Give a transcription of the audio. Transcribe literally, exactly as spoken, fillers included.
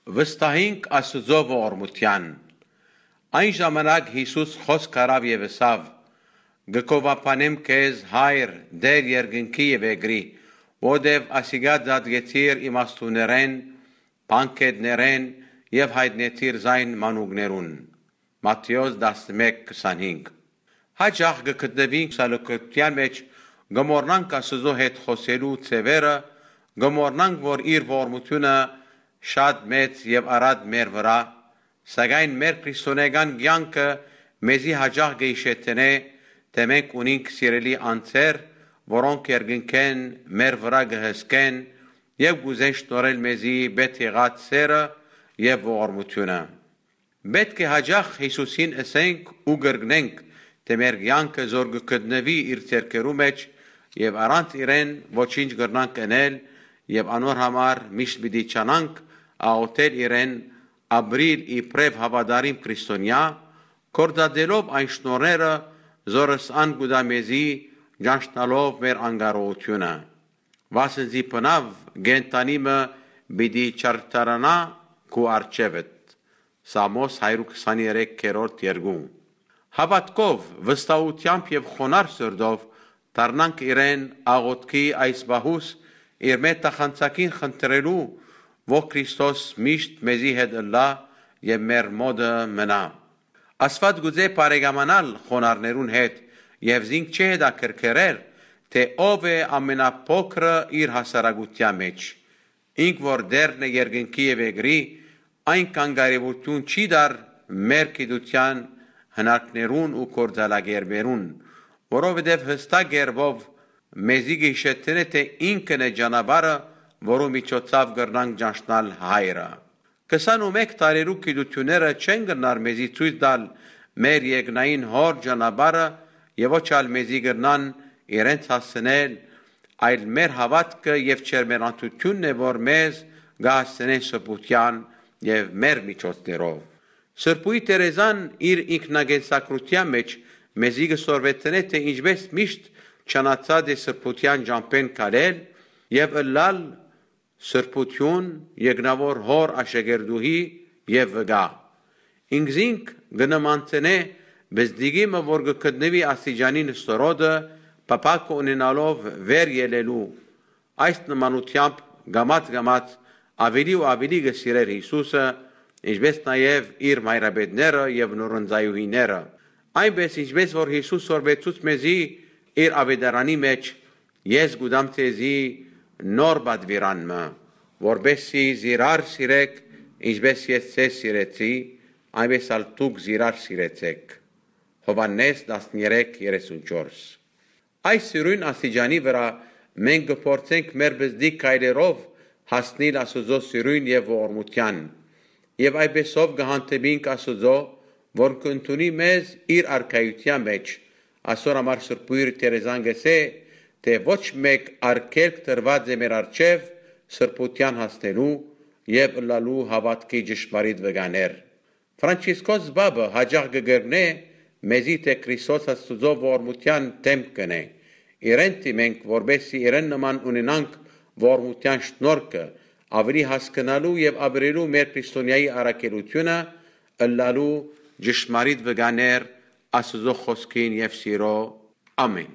Վստահինք Աստուծոյ ողորմութեան։ Այն ժամանակ Յիսուս խօսք առաւ եւ ըսաւ. «Կը գովաբանեմ քեզ, Հայր, Տէր երկնքի եւ երկրի, որտեւ ասիկա ծածկեցիր իմաստուններէն, բանկէտներէն եւ յայտնեցիր զայն մանուկներուն»։ Մատթէոս տասնմէկ քսանհինգ։ Յաճախ կը գտնուինք սալուկութեան մէջ, կը մոռնանք Աստուծոյ հետ խօսելու ձեւերը, կը մոռնանք, որ իր ողորմութիւնը շատ մեծ եւ առատ մեր վրայ, սակայն մեր քրիստոնէական կեանքը մեզի յաճախ կը յիշեցնէ, թէ մենք ունինք սիրելի անձեր, որոնք երկնքէն մեր վրայ կը հսկեն եւ կ'ուզեն շնորհել մեզի պետք եղած սէրը եւ ողորմութիւնը։ Պէտք է յաճախ Յիսուսին ըսենք ու կրկնենք, թէ մեր կեանքը զոր կը գտնուի իր ձեռքերու մէջ եւ առանց իրեն ոչինչ կրնանք ընել եւ անոր համար միշտ պիտի ջանանք աղօթել իրեն, ապրիլ իբրեւ հաւատարիմ քրիստոնեայ, գործածելով այն շնորհները, զորս ան կու տայ մեզի, ճանչնալով մեր անկարողութիւնը։ Վասն զի բնաւ կենդանի մը պիտի չարդարանայ քու առջեւդ։ Սաղմոս հարիւր քսաներեք երկու։ Հաւատքով, վստահութեամբ եւ խոնարհ սրտով դառնանք իրեն աղօթքի այս պահուս իր մէջ թախանցակին խնդրելու, որ Քրիստոս միշտ մեզի հետ ըլլայ եւ մեր մօտը մնայ։ Աստուած կ'ուզէ բարեկամանալ խոնարհներուն հետ եւ զինք չի հետաքրքրեր, թէ ով է ամենափոքրը իր հասարակութեան մէջ։ Ինք որ Տէրն է երկնքի եւ երկրի, այնքան կարեւորութիւն չի տար մեր գիտութեան, հնարքներուն ու գործելակերպերուն, որովհետեւ յստակ կերպով մեզի կը յիշեցնէ, թէ ինքն է ճանապարհը, որու միջոցաւ կրնանք ճանչնալ Հայրը։ Քսանմէկ տարերու գիտութիւնները չեն կրնար մեզի ցոյց տալ մեր երկնային Հօր ճանապարհը եւ ոչ ալ մեզի կրնան իրենց հասցնել, այլ մեր հաւատքը եւ ջերմեռանդութիւնն է, որ մեզ կը հասցնեն սրբութեան եւ մեր միջոցներով։ Սրբոյի Թերեզան իր ինքնակենսագրութեան մէջ մեզի կը սորվեցնէ, թէ ինչպէս միշտ ջանացած է սրբութեան ճամբէն քալել եւ ըլլալ սրբութիւն, երկնաւոր Հօր աշակերտուհի եւ վկայ։ Ինքզինք կը նմանցնէ բզդիկի մը, որ կը գտնուի աստիճանի նստորոտը, փափաքը ունենալով վեր ելելու։ Այս նմանութեամբ կամաց-կամաց աւելի ու աւելի կը սիրէր Յիսուսը, ինչպէս նաեւ իր մայրապետները եւ նորընծայուհիները։ Այնպէս ինչպէս որ Յիսուս սորվեցուց մեզի իր աւետարանի մէջ, ես կու տամ ձեզի նոր պատուիրան մը, որպէս զի զիրար սիրէք, ինչպէս ես ձեզ սիրեցի, այնպէս ալ դուք զիրար սիրեցէք։ Յովհաննէս տասներեք երեսունչորս։ Այս սիրոյն աստիճանի վրայ մենք կը փորձենք մեր բզդիկ քայլերով հասնիլ Աստուծոյ սիրոյն եւ ողորմութեան, եւ այդպէսով կը հանդիպինք Աստուծոյ, որ կ'ընդունի մեզ իր արքայութեան մէջ։ Ասոր համար Սրբոյր Թերեզան կ'ըսէ, թէ ոչ մէկ արգելք դրուած է մեր առջեւ սրբութեան հասնելու եւ ըլլալու հաւատքի ճշմարիտ վկաներ։ Ֆրանցիսկոս Պապը յաճախ կը կրկնէ մեզի, թէ Քրիստոս Աստուծոյ ողորմութեան դէմքն է։ Իրեն դիմենք, որպէս զի իրեն նման ունենանք ողորմութեան շնորհքը, աւելի հասկնալու եւ ապրելու մեր քրիստոնեայի առաքելութիւնը, ըլլալու ճշմարիտ վկաներ Աստուծոյ խօսքին եւ սիրոյ։ Ամէն։